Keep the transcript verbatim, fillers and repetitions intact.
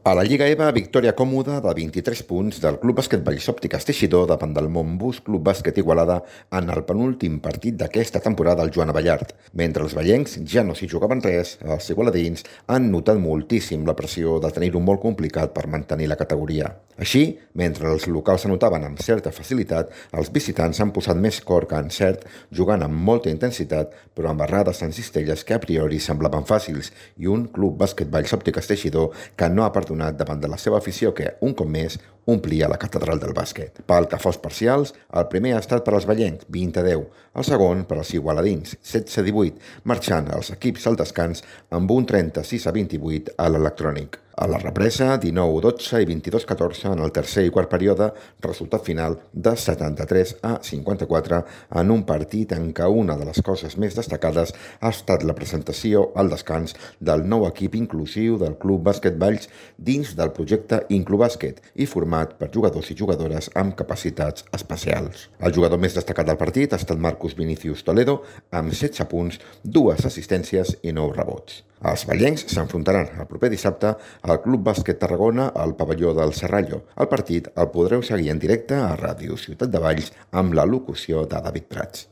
A la Lliga EVA, victòria còmoda de vint-i-tres punts del Club Bàsquet Valls Òptiques Teixidor davant del Montbus Club Bàsquet Igualada en el penúltim partit d'aquesta temporada al Joan Abellart. Mentre els vallencs ja no s'hi jugaven res, els igualadins han notat moltíssim la pressió de tenir-ho molt complicat per mantenir la categoria. Així, mentre els locals anotaven amb certa facilitat, els visitants han posat més cor que encert, jugant amb molta intensitat, però amb errades en cistelles que a priori semblaven fàcils, i un Club Bàsquet Valls Òptiques Teixidor que no ha perdonat davant de la seva afició que, un cop més, omplia la catedral del bàsquet. Pel que fa als parcials, el primer ha estat per als vallencs, vint a deu, el segon per als igualadins, setze a divuit, marxant els equips al descans amb un trenta-sis a vint-i-vuit a l'electrònic. A la represa, dinou a dotze i vint-i-dos a catorze en el tercer i quart període, resultat final de setanta-tres a cinquanta-quatre en un partit en què una de les coses més destacades ha estat la presentació al descans del nou equip inclusiu del Club Bàsquet Valls dins del projecte Inclubàsquet i format per jugadors i jugadores amb capacitats especials. El jugador més destacat del partit ha estat Marcus Vinicius Toledo amb setze punts, dues assistències i nou rebots. Els vallencs s'enfrontaran el proper dissabte al Club Bàsquet Tarragona al pavelló del Serrallo. El partit el podreu seguir en directe a Ràdio Ciutat de Valls amb la locució de David Prats.